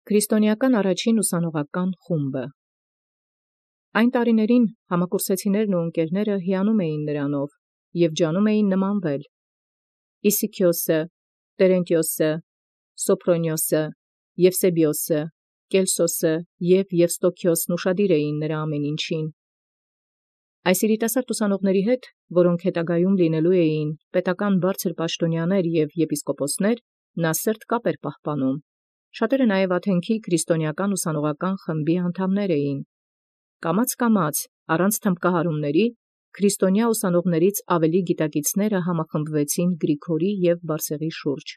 Քրիստոնեական առաջին ուսանողական խումբը։ Այն տարիներին համակուրսեցիներն ու ընկերները հիանում էին նրանով և ջանում էին նմանվել։ Իսիքիոսը, Տերենտիոսը, Սոփրոնիոսը, Եվսեբիոսը, Կելսոսը և Եվստոքիոսն ուշադիր էին նրա ամեն ինչին։ Այս երիտասարդ ուսանողների հետ, որոնք հետագայում լինելու էին պետական բարձր պաշտոնյաներ և եպիսկոպոսներ, նա սերտ կապ էր պահպանում։ Շատերը նաև Աթենքի քրիստոնեական ուսանողական խմբի անդամներ էին։ Կամաց առանց թմբկահարումների քրիստոնյա ուսանողներից ավելի գիտակիցները համախմբվեցին Գրիգորի և Բարսեղի շուրջ։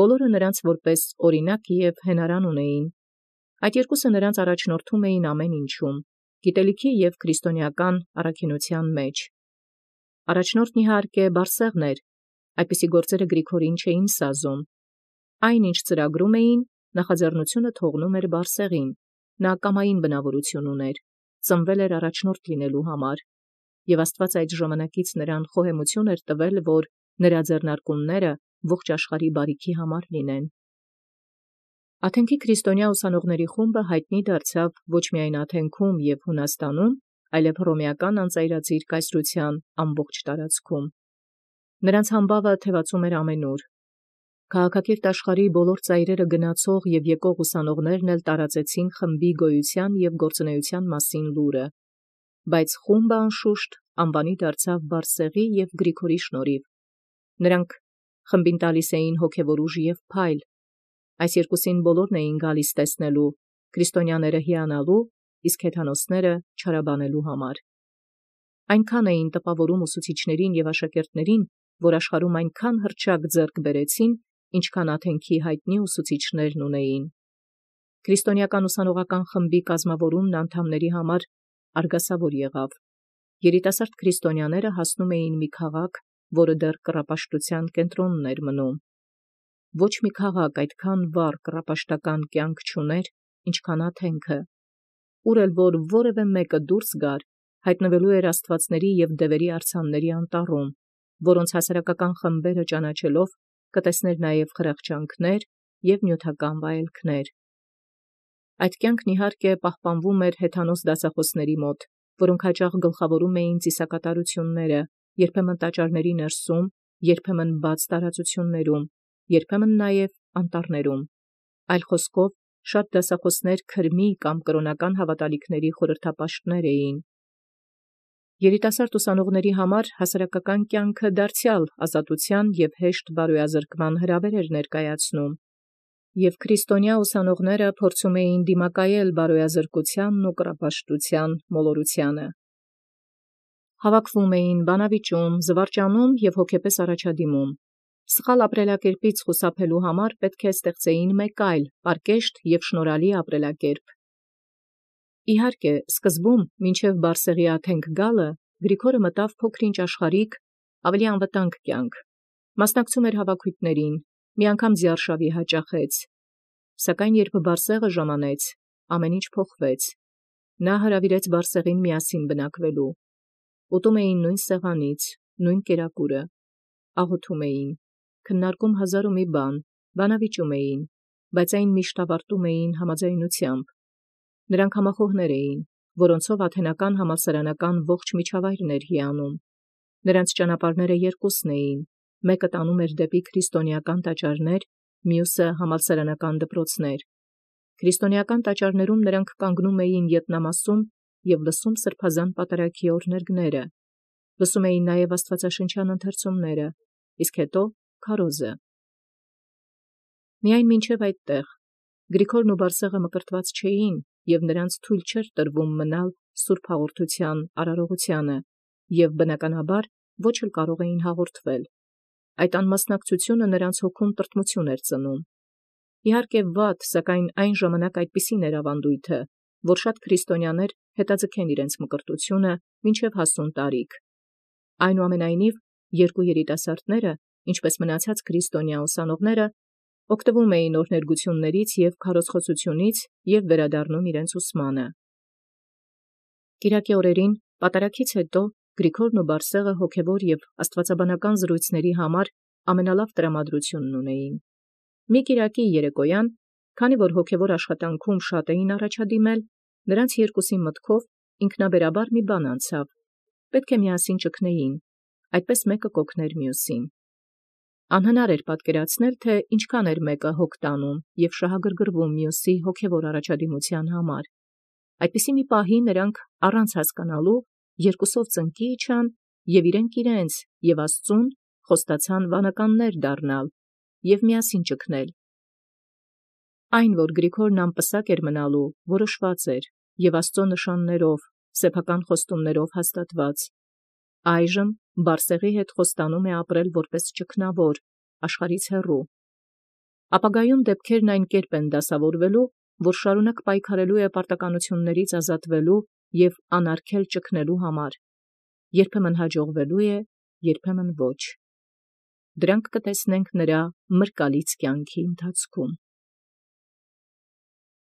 Բոլորը նրանց որպես օրինակ և հենարան ունեին։ Այդ երկուսը նրանց առաջնորդում էին ամեն ինչում, գիտելիքի և քրիստոնեական առաքինության մեջ։ Առաջնորդն իհարկե Բարսեղն էր, այդպիսի գործերը Գրիգորին չէին սազում։ Այն ինչ ծրագրում էին, նախաձեռնությունը թողնում էր Բարսեղին։ Նա կամային բնավորություն ուներ, ծնվել էր առաջնորդ լինելու համար, և Աստված այդ ժամանակից նրան խոհեմություն էր տվել, որ նրա ձեռնարկումները ողջ աշխարհի բարիքի համար լինեն։ Աթենքի քրիստոնյա ուսանողների խումբը հայտնի դարձավ ոչ միայն Աթենքում և Հունաստանում, այլև հռոմեական անծայրածիր կայսրության ամբողջ տարածքում։ Նրանց համբավը թևածում էր ամենուր։ Քաղաքակիրթ աշխարհի բոլոր ծայրերը գնացող և եկող ուսանողներն էլ տարածեցին խմբի գոյության և գործունեության մասին լուրը, բայց խումբը անշուշտ անվանի դարձավ Բարսեղի և Գրիգորի շնորհիվ։ Նրանք խմբին տալիս էին հոգևոր ուժ և փայլ։ Այս երկուսին բոլորն էին գալիս տեսնելու, քրիստոնյաները հիանալու, իսկ հեթանոսները չարաբանելու համար։ Այնքան էին տպավորում ուսուցիչներին և աշակերտներին, որ աշխարհում այնքան հռչակ ձեռք բերեցին, ինչքան Աթենքի հայտնի ուսուցիչներն ունեին։ Քրիստոնեական ուսանողական խմբի կազմավորումն անդամների համար արգասավոր եղավ։ Երիտասարդ քրիստոնյաները հասնում էին մի քաղաք, որը դեռ կռապաշտության կենտրոնն էր մնում։ Ոչ մի քաղաք այդքան վառ կռապաշտական կյանք չուներ, ինչքան Աթենքը, ուր էլ որ որևէ մեկը դուրս գար, հայտնվելու էր աստվածների և դևերի արձանների անտառում, որոնց հասարակական խմբերը ճանաչելով կտեսներ նաև խրախճանքներ և նյութական վայելքներ։ Այդ կյանքն իհարկե պահպանվում էր հեթանոս դասախոսների մոտ, որոնք հաճախ գլխավորում էին ծիսակատարությունները, երբեմն տաճարների ներսում, երբեմն բաց տարածություններում, երբեմն նաև անտառներում։ Այլ խոսքով, շատ դասախոսներ քրմի կամ կրոնական հավատալիքների խորհրդապաշտներ էին։ Երիտասարդ ուսանողների համար հասարակական կյանքը դարձյալ ազատության և հեշտ բարոյազրկման հրավեր էր ներկայացնում, և քրիստոնյա ուսանողները փորձում էին դիմակայել բարոյազրկությանն ու կռապաշտության մոլորությանը։ Հավաքվում էին, բանավիճում, զվարճանում և հոգեպես առաջադիմում։ Սխալ ապրելակերպից խուսափելու համար պետք է ստեղծեին մեկ այլ, պարկեշտ և շնորհալի ապրելակերպ։ Իհարկե, սկզբում, մինչև Բարսեղի Աթենք գալը, Գրիգորը մտավ փոքր-ինչ աշխարհիկ, ավելի անվտանգ կյանք։ Մասնակցում էր հավաքույթներին, մի անգամ ձիարշավի հաճախեց։ Սակայն երբ Բարսեղը ժամանեց, ամեն ինչ փոխվեց։ Նա հրավիրեց Բարսեղին միասին բնակվելու։ Ուտում էին նույն սեղանից, նույն կերակուրը, աղոթում էին, քննարկում հազար ու մի բան, բանավիճում էին, բայց այն միշտ ավարտում էին համաձայնությամբ։ Նրանք համախոհներ էին, որոնցով աթենական համալսարանական ողջ միջավայրն էր հիանում։ Նրանց ճանապարհները երկուսն էին, մեկը տանում էր դեպի քրիստոնեական տաճարներ, մյուսը համալսարանական դպրոցներ։ Քրիստոնեական տաճարներում նրանք կանգնում էին ետնամասում և լսում սրբազան պատարագի օրհներգները, լսում էին նաև աստվածաշնչյան ընթերցումները, իսկ հետո քարոզը։ Միայն մինչև այդտեղ Գրիգորն ու Բարսեղը մկրտված չէին, և նրանց թույլ չէր տրվում մնալ սուրբ հաղորդության արարողությանը, և բնականաբար ոչ էլ կարող էին հաղորդվել։ Այդ անմասնակցությունը նրանց հոգում տրտմություն էր ծնում։ Իհարկե վատ, սակայն այն ժամանակ այդպիսին էր ավանդույթը, որ շատ քրիստոնյաներ հետաձգեն իրենց մկրտությունը մինչև հասուն տարիք։ Այնուամենայնիվ, երկու երիտասարդները, ինչպես մնացած քրիստոնյա ուսանողները, օգտվում էին օրհներգություններից և քարոզխոսությունից և վերադառնում իրենց ուսմանը։ Կիրակի օրերին պատարագից հետո Գրիգորն ու Բարսեղը հոգևոր և աստվածաբանական զրույցների համար ամենալավ տրամադրությունն ունեին։ Մի կիրակի երեկոյան Քանի որ հոգևոր աշխատանքում շատ էին առաջադիմել, նրանց երկուսի մտքով ինքնաբերաբար մի բան անցավ. պետք է միասին ճգնեին, այդպես մեկը կօգներ մյուսին։ Անհնար էր պատկերացնել, թե ինչքան էր մեկը հոգ տանում և շահագրգռվում մյուսի հոգևոր առաջադիմության համար։ Այդպիսի մի պահի նրանք առանց հասկանալու երկուսով ծնկի իջան և իրենք իրենց և Աստծուն խոստացան վանականներ դառնալ և միասին ճգնել։ Այն, որ Գրիգորն անպսակ էր մնալու, որոշված էր և Աստծո նշաններով, սեփական խոստումներով հաստատված։ Այժմ Բարսեղի հետ խոստանում է ապրել որպես ճգնավոր, աշխարհից հեռու։ Ապագայում դեպքերն այն կերպ են դասավորվելու, որ շարունակ պայքարելու է պարտականություններից ազատվելու և անարգել ճգնելու համար, երբեմն հաջողվելու է, երբեմն ոչ։ Դրանք կտեսնենք նրա մրկալից կյանքի ընթացքում։